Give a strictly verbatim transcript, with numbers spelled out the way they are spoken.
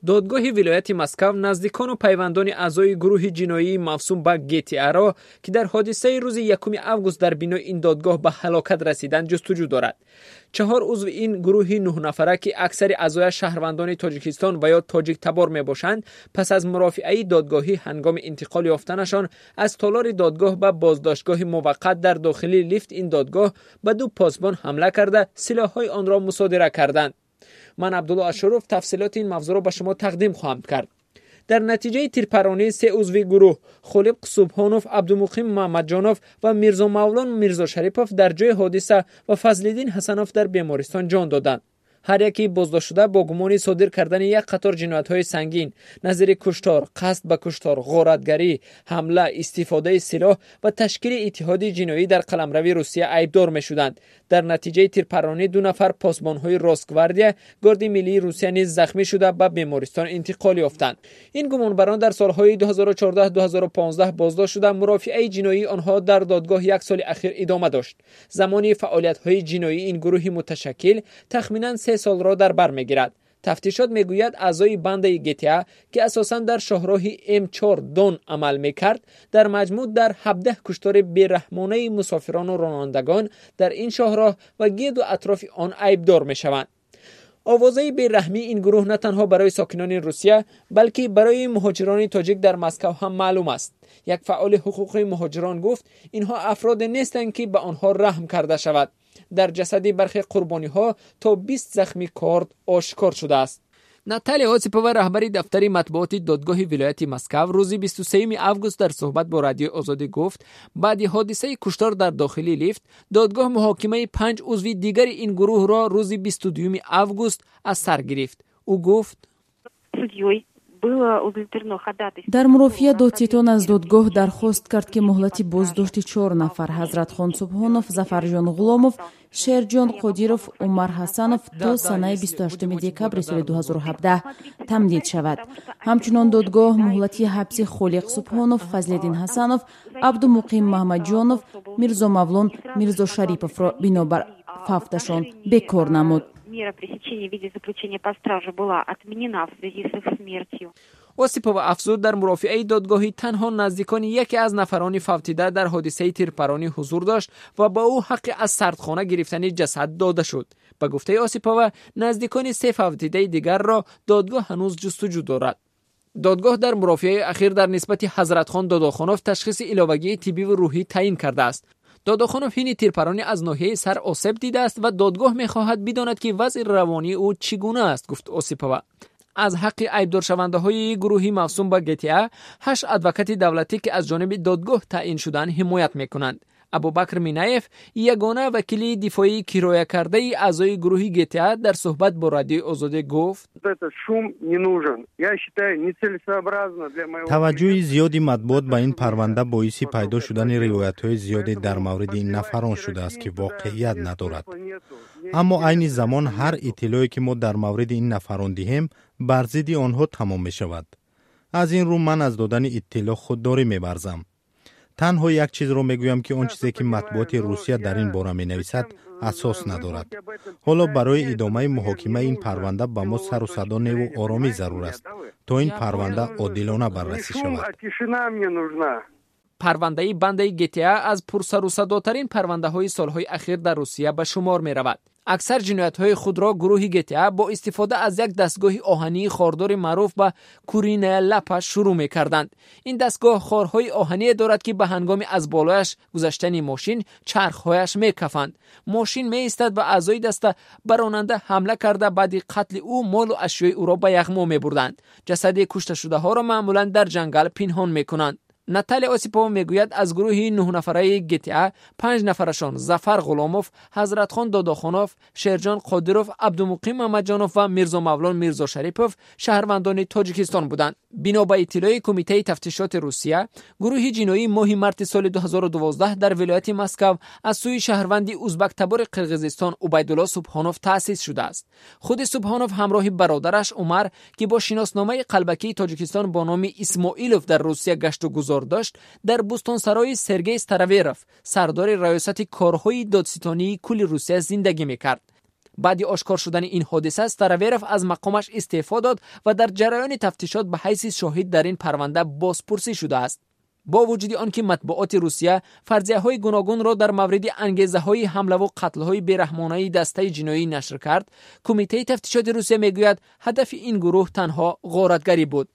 Додгоҳи вилояти Москав наздикону пайвандони аъзои гурӯҳи ҷиноии мавсум ба Г Т Аро, ки дар ҳодисаи рӯзи якуми август дар бинои ин додгоҳ ба ҳалокат расиданд, ҷустуҷӯ дорад. Чаҳор узви ин гурӯҳи нӯҳнафара, ки аксари аъзояш шаҳрвандони Тоҷикистон ва ё тоҷиктабор мебошанд, пас аз мурофиаи додгоҳӣ ҳангоми интиқол ёфтанашон аз толори додгоҳ ба боздоштгоҳи муваққат дар дохили лифт ин додгоҳ ба ду посбон ҳамла карда, силоҳҳои онро мусодира карданд. Ман, Абдулло Ашуров, тафсилоти ин мавзӯъро ба шумо тақдим хоҳам кард. Дар натиҷаи тирпаронӣ се узви гурӯҳ, Холиқ Субҳонов, Абдумуқим Муҳаммадҷонов ва Мирзомавлон Мирзошарипов, дар ҷои ҳодиса ва Фазлиддин Ҳасанов дар бемористон ҷон доданд. Ҳар яке боздоштшуда бо гумони содир кардани як қатор ҷиноятҳои сангин назири куштор, қасд ба куштор, ғоратгарӣ, ҳамла, истифодаи силоҳ ва ташкили иттиҳоди ҷиноӣ дар қаламрави Русия айбдор мешуданд. Дар натиҷаи тирпаронӣ ду нафар посбонҳои Росгвардия, Горди миллии Русия, низ захмӣ шуда, ба бемористон интиқол ёфтанд. Ин гумонбарон дар солҳои ду ҳазору чордаҳ-ду ҳазору понздаҳ боздошт шуда, мурофиаи ҷиноии онҳо дар додгоҳ як соли ахир идома дошт. Замони фаъолиятҳои ҷиноии ин гурӯҳи муташаккил тахминан се солро дар бар мегирад. Тафтишот мегӯяд, аъзои бандаи Г Т А, ки асосан дар шоҳроҳи М чор Дон амал мекард, дар маҷмӯъ дар ҳабдаҳ куштори бераҳмонаи мусофирону ронандагон дар ин шоҳроҳ ва гирду атрофи он айбдор мешаванд. Овозаи бераҳмии ин гурӯҳ на танҳо барои сокинони Русия, балки барои муҳоҷирони тоҷик дар Москав ҳам маълум аст. Як фаъоли ҳуқуқи муҳоҷирон гуфт, инҳо афроде нестанд, ки ба онҳо раҳм карда шавад. Дар ҷасади бархе қурбониҳо то бист захми корд ошкор шудааст. Наталия Осипова, раҳбари дафтари матбуоти додгоҳи вилояти Москав, рӯзи бисту сеюми август дар суҳбат бо Радиои Озодӣ гуфт, баъди ҳодисаи куштор дар дохили лифт додгоҳ муҳокимаи панҷ узви дигари ин гурӯҳро рӯзи бисту дуюми август аз сар гирифт. Ӯ гуфт: Дар мурофиа додситон аз додгоҳ дархост кард, ки муҳлати боздошти чор нафар: Ҳазратхон Субҳонов, Зафарҷон Ғуломов, Шерҷон Қодиров, Умар Ҳасанов то санаи бисту ҳаштуми декабри соли ду ҳазору ҳабдаҳ тамдид шавад. Ҳамчунон додгоҳ муҳлати ҳабси Холиқ Субҳонов, Фазлиддин Ҳасанов, Абдумуқим Маҳмадҷонов, Мирзомавлон Мирзошариповро бинобар фавташон бекор намуд. Мера пресечения в виде заключения под стражу была отменена в связи с их смертью. Осипова афзуд, дар мурофиаи додгоҳӣ танҳо наздикони яке аз нафарони фавтида дар ҳодисаи тирпаронӣ ҳузур дошт ва ба ӯ ҳаққи аз сардхона гирифтани ҷасад дода шуд. Ба гуфтаи Осипова, наздикони се фавтидаи дигарро додгоҳ ҳанӯз ҷустуҷӯ дорад. Додгоҳ дар мурофиаи ахир дар нисбати Ҳазратхон Додохонов ташхиси иловагии тиббиву рӯҳӣ таъин кардааст. Додохонов ҳини тирпаронӣ аз ноҳияи сар осеб дидааст ва додгоҳ мехоҳад бидонад, ки вазъи равонии ӯ чӣ гуна аст, гуфт Осипова. Аз ҳаққи айбдоршавандаҳои гурӯҳи мавсум ба Г Т А ҳашт адвокати давлатӣ, ки аз ҷониби додгоҳ таъин шудаанд, ҳимоят мекунанд. Абубакр Минаев, ягона вакили дифоии кироякардаи аъзои гурӯҳи Г Т А, дар суҳбат бо Радиои Озодӣ гуфт: Таваҷҷӯҳи зиёди матбуот ба ин парванда боиси пайдо шудани ривоятҳои зиёде дар мавриди ин нафарон шудааст, ки воқеият надорад. Аммо айни замон ҳар иттилоъе, ки мо дар мавриди ин нафарон диҳем, бар зидди онҳо тамом мешавад. Аз ин рӯ ман аз додани иттилоъ худдорӣ меварзам. Танҳо як чизро мегӯям, ки он чизе, ки матбуоти Русия дар ин бора менависад, асос надорад. Ҳоло барои идомаи муҳокимаи ин парванда ба мо сару садо неву оромӣ зарур аст, то ин парванда одилона баррасӣ шавад. Парвандаи бандаи Г Т А аз пурсарусадотарин парвандаҳои солҳои ахир дар Русия ба шумор меравад. Аксар ҷиноятҳои худро гурӯҳи Г Т А бо истифода аз як дастгоҳи оҳании хордори маъруф ба куриная лапа шурӯъ мекарданд. Ин дастгоҳ хорҳои оҳание дорад, ки ба ҳангоми аз болояш гузаштани мошин чархҳояш мекафанд. Мошин меистад ва аъзои даста ба ронанда ҳамла карда, баъди қатли ӯ молу ашёи ӯро ба яғмо мебурданд. Ҷасади кушташудаҳоро маъмулан дар ҷангал пинҳон мекунанд. Наталия Осипова мегӯяд, аз гурӯҳи нӯҳнафараи Г Т А панҷ нафарашон, Зафар Ғуломов, Ҳазратхон Додохонов, Шерҷон Қодиров, Абдумуқим Муҳаммадҷонов ва Мирзомавлон Мирзошарипов, шаҳрвандони Тоҷикистон буданд. Бино ба иттилои Кумитаи тафтишоти Русия, гурӯҳи ҷиноӣ моҳи марти соли ду ҳазору дувоздаҳ дар вилояти Москав аз сӯи шаҳрванди узбактабори Қирғизистон Убайдулло Субҳонов таъсис шудааст. Худи Субҳонов ҳамроҳи бародараш Умар, ки бо шиносномаи қалбакии Тоҷикистон бо номи Исмоилов дар Русия гашту гузор дошт, дар бӯстонсарои Сергей Стараверов, сардори Раёсати корҳои додситонии кулли Русия, зиндагӣ мекард. Баъди ошкор шудани ин ҳодиса Староверов аз мақомаш истеъфо дод ва дар ҷараёни тафтишот ба ҳайси шоҳид дар ин парванда бозпурсӣ шудааст. Бо вуҷуди он ки матбуоти Русия фарзияҳои гуногунро дар мавриди ангезаҳои ҳамлаву қатлҳои бераҳмонаи дастаи ҷиноӣ нашр кард, Кумитаи тафтишоти Русия мегӯяд, ҳадафи ин гурӯҳ танҳо ғоратгарӣ буд.